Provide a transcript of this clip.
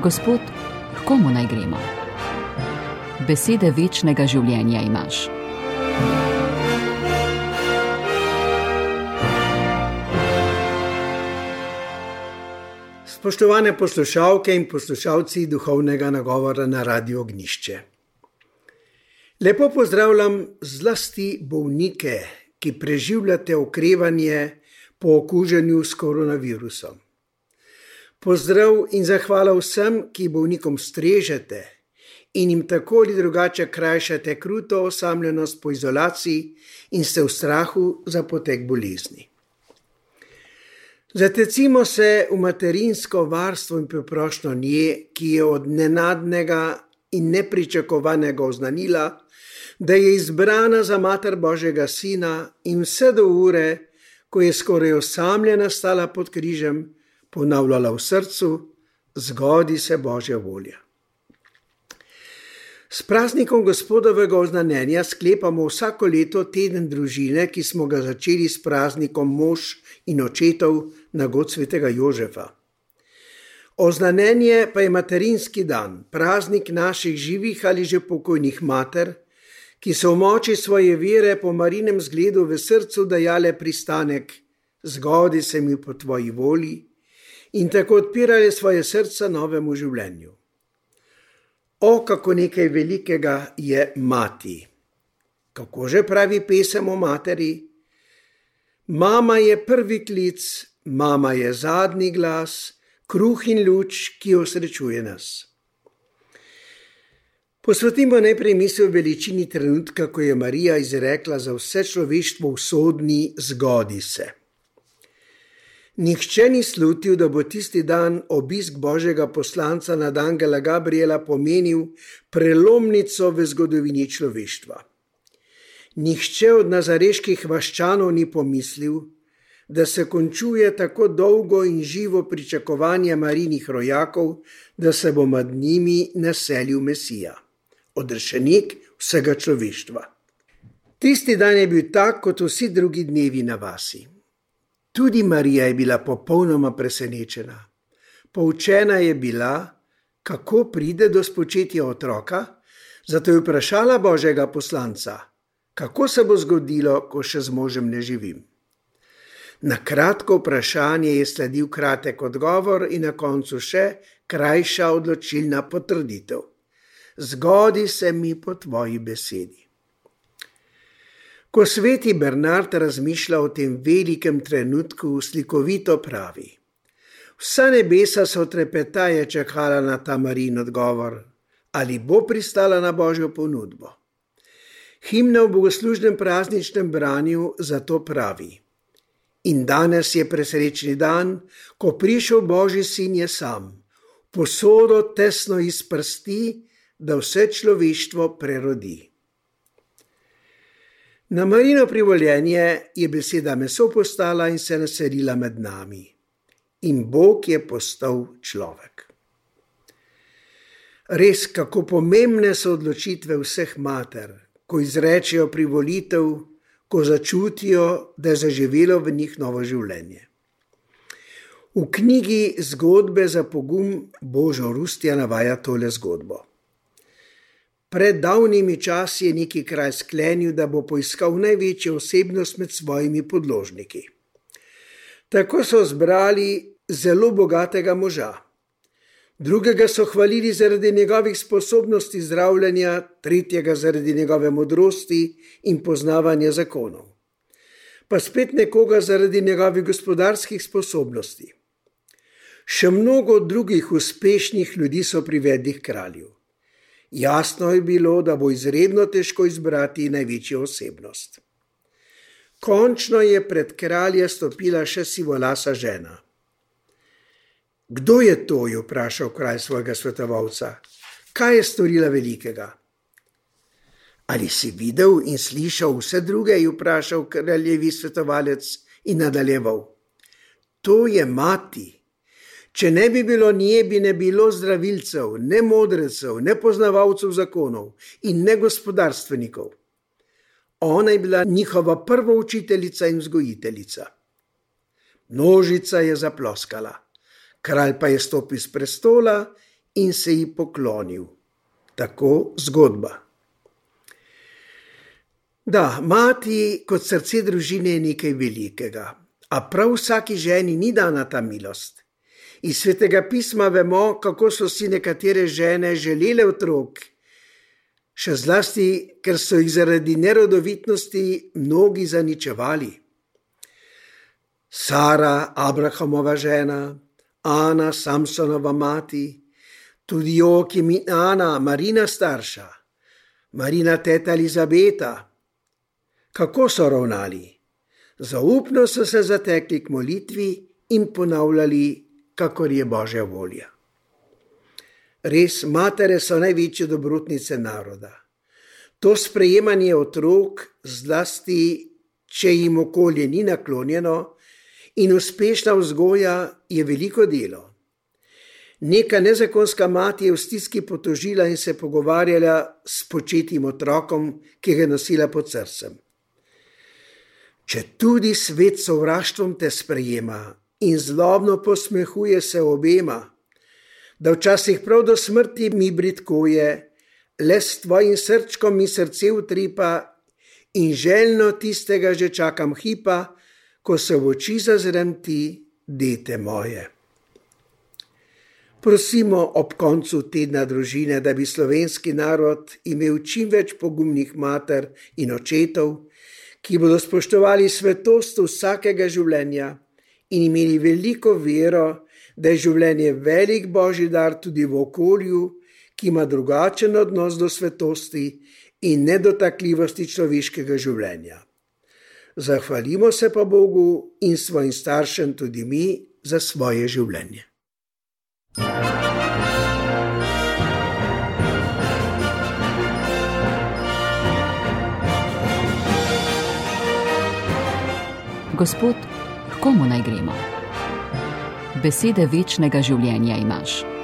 Gospod, k komu naj gremo? Besede večnega življenja imaš. Spoštovane poslušalke in poslušalci duhovnega nagovora na Radiu Ognjišče. Lepo pozdravljam zlasti bolnike, ki preživljate okrevanje po okuženju s koronavirusom. Pozdrav in zahvala vsem, ki bolnikom strežete in jim tako ali drugače krajšate kruto osamljenost po izolaciji in ste v strahu za potek bolezni. Zatecimo se v materinsko varstvo in preprošnjo nje, ki je od nenadnega in nepričakovanega oznanila, da je izbrana za mater Božjega Sina in vse do ure, ko je skoraj osamljena stala pod križem, ponavljala v srcu: zgodi se Božja volja. S praznikom Gospodovega oznanjenja sklepamo vsako leto teden družine, ki smo ga začeli s praznikom mož in očetov na god svetega Jožefa. Oznanjenje pa je materinski dan, praznik naših živih ali že pokojnih mater, ki so v moči svoje vere po Marinem zgledu v srcu dajale pristanek: zgodi se mi po tvoji volji, in tako odpirale svoje srca novemu življenju. O, kako nekaj velikega je mati! Kako že pravi pesem o materi? Mama je prvi klic, mama je zadnji glas, kruh in luč, ki osrečuje nas. Posvetimo najprej misel veličini trenutka, ko je Marija izrekla za vse človeštvo usodni: zgodi se. Nihče ni slutil, da bo tisti dan obisk Božjega poslanca nad angela Gabriela pomenil prelomnico v zgodovini človeštva. Nihče od nazareških vaščanov ni pomislil, da se končuje tako dolgo in živo pričakovanje Marijinih rojakov, da se bo med njimi naselil Mesija, odrešenik vsega človeštva. Tisti dan je bil tak kot vsi drugi dnevi na vasi. Tudi Marija je bila popolnoma presenečena. Poučena je bila, kako pride do spočetja otroka, zato je vprašala Božjega poslanca: kako se bo zgodilo, ko še z možem ne živim? Na kratko vprašanje je sledil kratek odgovor in na koncu še krajša odločilna potrditev: zgodi se mi po tvoji besedi. Ko sveti Bernard razmišlja o tem velikem trenutku, slikovito pravi: vsa nebesa so trepetaje čakala na ta Marijin odgovor, ali bo pristala na Božjo ponudbo. Himna v bogoslužnem prazničnem branju zato pravi: in danes je presrečni dan, ko prišel Božji sin je sam, posodo tesno iz prsti, da vse človeštvo prerodi. Na Marijino privoljenje je beseda meso postala in se naselila med nami. In Bog je postal človek. Res, kako pomembne so odločitve vseh mater, ko izrečejo privolitev, ko začutijo, da je zaživelo v njih novo življenje. V knjigi Zgodbe za pogum Božo Rustja navaja tole zgodbo. Pred davnimi časi je neki kralj sklenil, da bo poiskal največjo osebnost med svojimi podložniki. Tako so zbrali zelo bogatega moža. Drugega so hvalili zaradi njegovih sposobnosti zdravljenja, tretjega zaradi njegove modrosti in poznavanja zakonov. Pa spet nekoga zaradi njegovih gospodarskih sposobnosti. Še mnogo drugih uspešnih ljudi so privedli k kralju. Jasno je bilo, da bo izredno težko izbrati največjo osebnost. Končno je pred kralja stopila še sivolasa žena. Kdo je to, je vprašal kralj svojega svetovalca. Kaj je storila velikega? Ali si videl in slišal vse druge, je vprašal kraljevi svetovalec in nadaljeval. To je mati. Če ne bi bilo nje, bi ne bilo zdravilcev, ne modrecev, ne poznavalcev zakonov in ne gospodarstvenikov. Ona je bila njihova prva učiteljica in vzgojiteljica. Množica je zaploskala. Kralj pa je stopil s prestola in se ji poklonil. Tako zgodba. Da, mati kot srce družine je nekaj velikega, a prav vsaki ženi ni dana ta milost. Iz Svetega pisma vemo, kako so si nekatere žene želele otrok, še zlasti, ker so jih zaradi nerodovitnosti mnogi zaničevali. Sara, Abrahamova žena, Ana, Samsonova mati, tudi Joakim in Ana, Marina starša, Marina teta Elizabeta. Kako so ravnali? Zaupno so se zatekli k molitvi in ponavljali, kakor je Božja volja. Res, matere so največje dobrotnice naroda. To sprejemanje otrok, zlasti če jim okolje ni naklonjeno, in uspešna vzgoja je veliko delo. Neka nezakonska mati je v stiski potožila in se pogovarjala s početim otrokom, ki ga je nosila pod srcem. Če tudi svet s sovraštvom te sprejema in zlobno posmehuje se obema, da včasih prav do smrti mi bridkuje, le s tvojim srčkom mi srce utripa in željno tistega že čakam hipa, ko se v oči zazrem ti, dete moje. Prosimo ob koncu tedna družine, da bi slovenski narod imel čim več pogumnih mater in očetov, ki bodo spoštovali svetost vsakega življenja in imeli veliko vero, da je življenje velik Božji dar tudi v okolju, ki ima drugačen odnos do svetosti in nedotakljivosti človeškega življenja. Zahvalimo se pa Bogu in svojim staršem tudi mi za svoje življenje. Gospod, h komu naj gremo? Besede večnega življenja imaš.